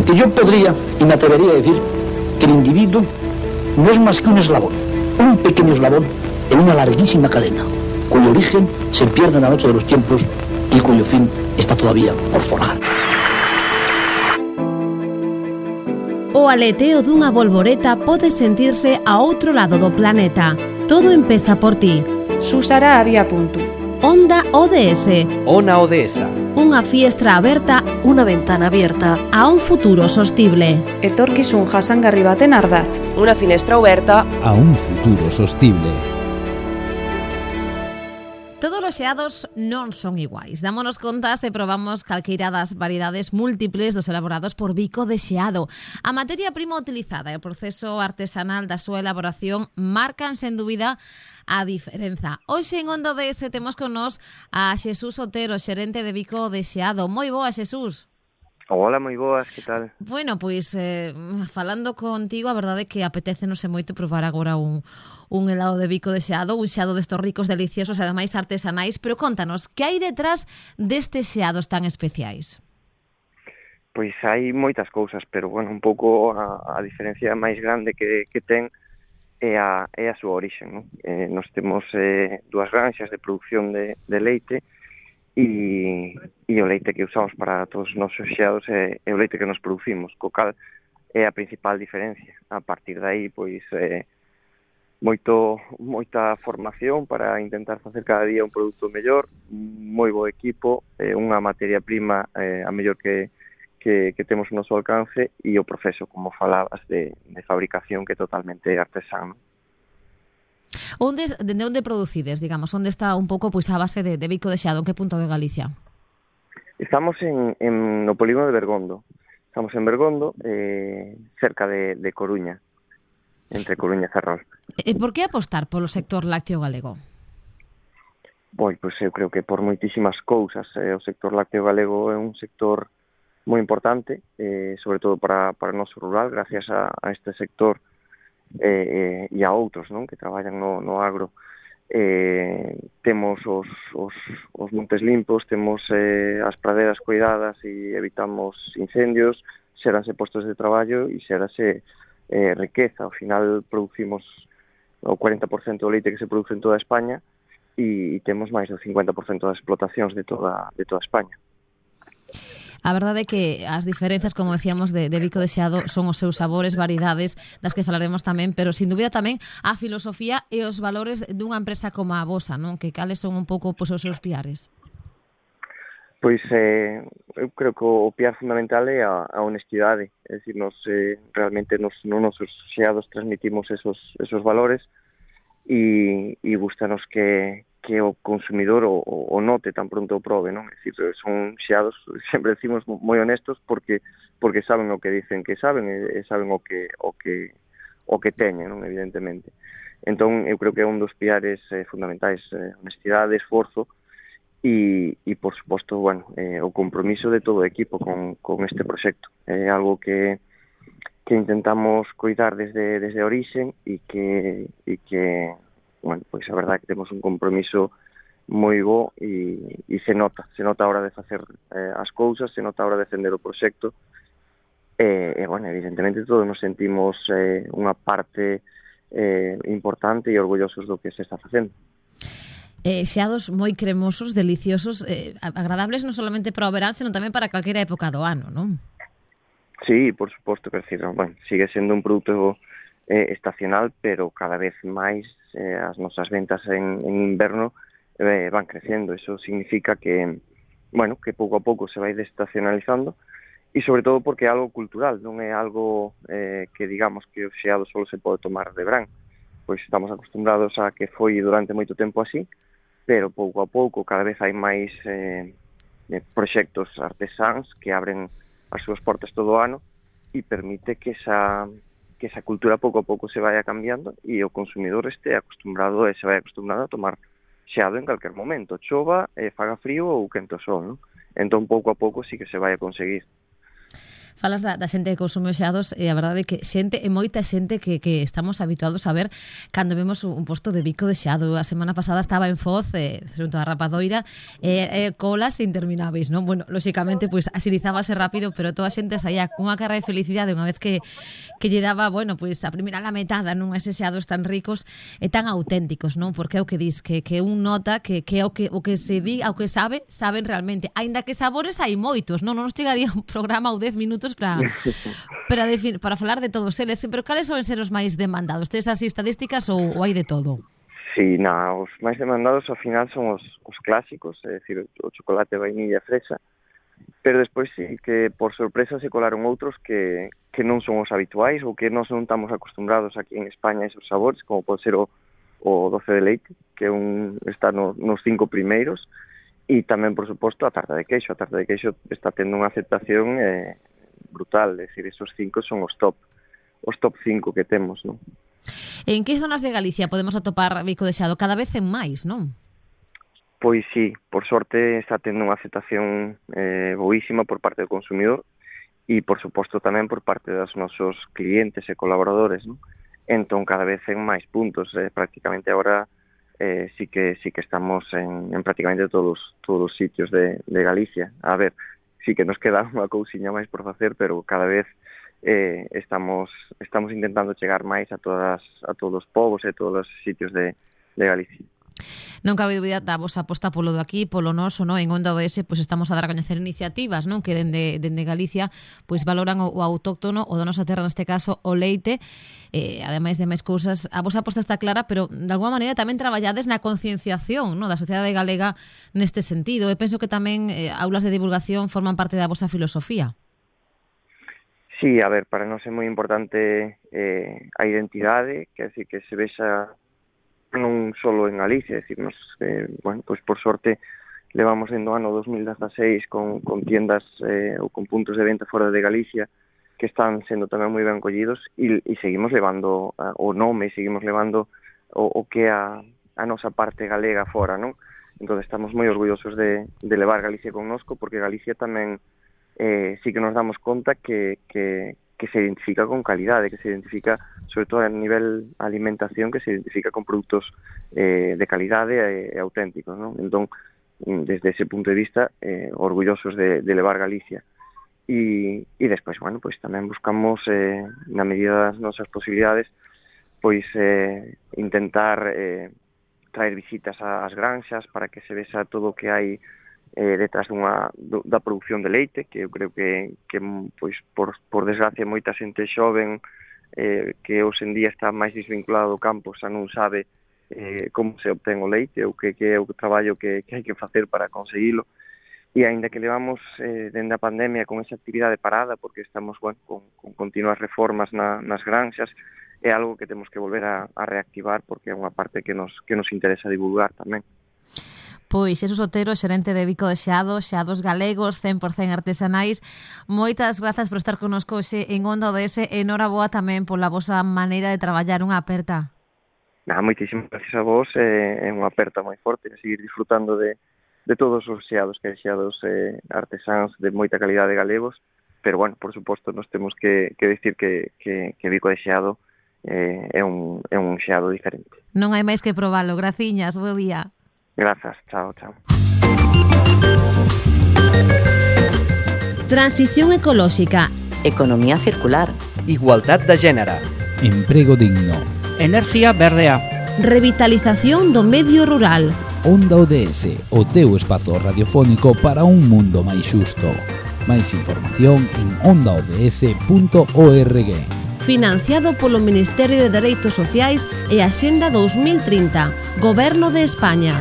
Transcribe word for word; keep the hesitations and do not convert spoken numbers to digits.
Porque yo podría y me atrevería a decir que el individuo no es más que un eslabón, un pequeño eslabón en una larguísima cadena, cuyo origen se pierde en la noche de los tiempos y cuyo fin está todavía por forjar. O aleteo dunha bolboreta pode sentirse a outro lado do planeta. Todo empeza por ti. Susara había punto. Onda O D S. Ona O D S. Unha fiestra aberta, unha ventana abierta a un futuro sostible. Etorkizun jasangarri baten ardatz. Unha finestra aberta a un futuro sostible. Todos os xeados non son iguais. Dámonos conta se probamos calqueira das variedades múltiples dos elaborados por Bico de Xeado. A materia prima utilizada e o proceso artesanal da súa elaboración marcan, sen dúbida, a diferenza. Hoxe en Onda O D S temos con nós a Xesús Otero, xerente de Bico de Xeado. Moi boa, Xesús. Hola, moi boas, que tal? Bueno, pois, eh, falando contigo, a verdade é que apetécenos moito probar agora un... un helado de Bico de Xeado, un xeado destos ricos, deliciosos e ademais artesanais, pero contanos, que hai detrás destes xeados tan especiais? Pois hai moitas cousas, pero, bueno, un pouco a, a diferencia máis grande que, que ten é a, é a súa orixe, non? Eh, nos temos eh, dúas granxas de produción de, de leite e, e o leite que usamos para todos os nosos xeados é, é o leite que nos producimos, co cal é a principal diferencia. A partir de aí, pois... Eh, moito moita formación para intentar facer cada día un produto mellor, moi bo equipo, eh, unha materia prima eh, a mellor que, que, que temos no noso alcance e o proceso, como falabas, de, de fabricación que é totalmente artesano. Onde, dende onde producides, digamos? Onde está un pouco pois, a base de, de Bico de Xeado? En que punto de Galicia? Estamos en, en no polígono de Bergondo. Estamos en Bergondo, eh, cerca de, de Coruña, entre Coruña e Ferrol. E por que apostar polo sector lácteo galego? Pois, pois eu creo que por moitísimas cousas. Eh, o sector lácteo galego é un sector moi importante, eh, sobre todo para, para o noso rural, gracias a, a este sector eh, eh, e a outros, non, que traballan no, no agro. Eh, temos os, os, os montes limpos, temos eh, as praderas cuidadas e evitamos incendios, xéranse postos de traballo e xérase eh, riqueza. Ao final producimos o cuarenta por cento do leite que se produce en toda España e, e temos máis do cincuenta por cento das explotacións de toda, de toda España. A verdade é que as diferenzas, como decíamos, de, de Bico de Xeado son os seus sabores, variedades, das que falaremos tamén, pero sin dúbida tamén a filosofía e os valores dunha empresa como a vosa, non? Que cales son un pouco pois, os seus piares? Pois eh, eu creo que o piar fundamental é a, a honestidade, é dicir, nos, eh, realmente nos, nos nosos xeados transmitimos esos, esos valores e, e gustanos que, que o consumidor o, o note tan pronto o probe, non? É dicir, son xeados, sempre decimos, moi honestos porque porque saben o que dicen que saben e, e saben o que o que o que teñen, non? Evidentemente. Entón, eu creo que é un dos piares eh, fundamentais, eh, honestidade, esforzo, E, e por suposto, bueno, eh, o compromiso de todo o equipo con, con este proxecto. É algo que, que intentamos cuidar desde, desde a orixe e que, e que, bueno, pois a verdade é que temos un compromiso moi bo e, e se nota, se nota a hora de facer eh, as cousas, se nota a hora de defender o proxecto e, e bueno, evidentemente todos nos sentimos eh, unha parte eh, importante e orgullosos do que se está facendo. Eh, xeados moi cremosos, deliciosos, eh, agradables non solamente para o verán, senón tamén para calquera época do ano, non? Sí, por suposto, que decir, bueno, sigue sendo un produto eh, estacional, pero cada vez máis eh, as nosas ventas en, en inverno eh, van crecendo. Eso significa que, bueno, que pouco a pouco se vai desestacionalizando e sobre todo porque é algo cultural, non é algo eh, que digamos que o xeado só se pode tomar de verán. Pois estamos acostumbrados a que foi durante moito tempo así, pero pouco a pouco cada vez hai máis eh, proxectos artesáns que abren as súas portas todo o ano e permite que esa, que esa cultura pouco a pouco se vaya cambiando e o consumidor este acostumbrado e se vai acostumbrado a tomar xeado en calquer momento, chova, eh, faga frío ou quente o sol, non? Entón pouco a pouco sí que se vai a conseguir. Falas da, da xente que consume os xeados e a verdade é que xente e moita xente que, que estamos habituados a ver cando vemos un posto de bico de xeado. A semana pasada estaba en Foz, eh, xunto a Rapadoira, e eh, eh, colas intermináveis, non? Bueno, lóxicamente, pois, pues, asilizábase rápido, pero toda a xente saía cunha cara de felicidade unha vez que, que lle daba, bueno, pois, pues, a primeira lametada nun eses xeados tan ricos e tan auténticos, non? Porque é o que dis, que, que un nota que, que é o que, o que se di, o que sabe, saben realmente. Aínda que sabores hai moitos, non? Non nos chegaría un programa ou dez minutos para para, defin, para falar de todos eles, pero cales son ser os máis demandados? Tes así estadísticas ou, ou hai de todo? Sí, na, os máis demandados ao final son os, os clásicos, é dicir, o chocolate, vainilla e fresa, pero despois sí que por sorpresa se colaron outros que, que non son os habituais ou que non son estamos acostumbrados aquí en España a esos sabores, como pode ser o, o doce de leite, que un, está no, nos cinco primeiros, e tamén, por suposto, a tarta de queixo. A tarta de queixo está tendo unha aceptación eh, brutal, é dicir, esos cinco son os top, os top cinco que temos, non? En que zonas de Galicia podemos atopar bico de xeado? Cada vez en máis, non? Pois sí, por sorte está tendo unha aceptación eh, boísima por parte do consumidor e, por suposto, tamén por parte dos nosos clientes e colaboradores, non? Entón, cada vez en máis puntos, eh, prácticamente agora eh, sí que sí que estamos en, en prácticamente todos todos os sitios de, de Galicia. A ver, sí que nos queda unha cousiña máis por facer, pero cada vez eh, estamos estamos intentando chegar máis a todas a todos os povos e todos os sitios de, de Galicia. Non cabe dúbida da vosa aposta polo do aquí, polo noso, non? En Onda O S, pois estamos a dar a coñecer iniciativas, non? Que dende, dende Galicia pois valoran o, o autóctono, o da nosa terra, neste caso, o leite, eh, ademais de máis cousas. A vosa aposta está clara, pero de alguma maneira tamén traballades na concienciación, non? Da sociedade galega neste sentido. E penso que tamén eh, aulas de divulgación forman parte da vosa filosofía. Sí, a ver, para nós é moi importante eh, a identidade, que así que se vexa non solo en Galicia, é dicir, nos, eh, bueno, pois por sorte levamos dentro do ano dos mil dezasseis con, con tiendas eh, ou con puntos de venta fora de Galicia que están sendo tamén moi ben collidos e, e seguimos levando uh, o nome, seguimos levando o, o que a, a nosa parte galega fora, non? Entón estamos moi orgullosos de, de levar Galicia connosco, porque Galicia tamén eh, sí que nos damos conta que, que que se identifica con calidade, que se identifica, sobre todo a nivel alimentación, que se identifica con produtos eh, de calidade e, e auténticos, non? Entón, desde ese punto de vista, eh, orgullosos de, de levar Galicia. E, e despois, bueno, pois tamén buscamos, eh, na medida das nosas posibilidades, pois eh, intentar eh, traer visitas ás granxas para que se vexa todo o que hai eh, detrás dunha, da produción de leite, que eu creo que, que pois, por, por desgracia, moita xente xoven eh, que hoxe en día está máis desvinculado do campo, xa non sabe eh, como se obtén o leite ou que, que é o traballo que, que hai que facer para conseguilo. E aínda que levamos eh, dende a pandemia con esa actividade parada, porque estamos, bueno, con, con continuas reformas na, nas granxas, é algo que temos que volver a, a reactivar, porque é unha parte que nos, que nos interesa divulgar tamén. Pois Xesús Otero, xerente de Bico de Xeado, xeados galegos, cen por cen artesanais. Moitas grazas por estar connosco hoxe en Onda O S e noraboa tamén pola vosa maneira de traballar. Unha aperta. Nah, moitísimas gracias a vos, é eh, unha aperta moi forte, a seguir disfrutando de, de todos os xeados, que hai xeados eh, artesáns de moita calidade galegos, pero, bueno, por suposto, nos temos que, que decir que, que, que Bico de Xeado eh, é, un, é un xeado diferente. Non hai máis que probalo. Graciñas, bo día. Grazas, chao, chao. Transición ecolóxica. Economía circular. Igualdad de género. Emprego digno. Energía verdea. Revitalización do medio rural. Onda O D S, o teu espazo radiofónico para un mundo máis xusto. Máis información en onda o d s punto org. Financiado polo Ministerio de Dereitos Sociais e Axenda dos mil trinta, Goberno de España.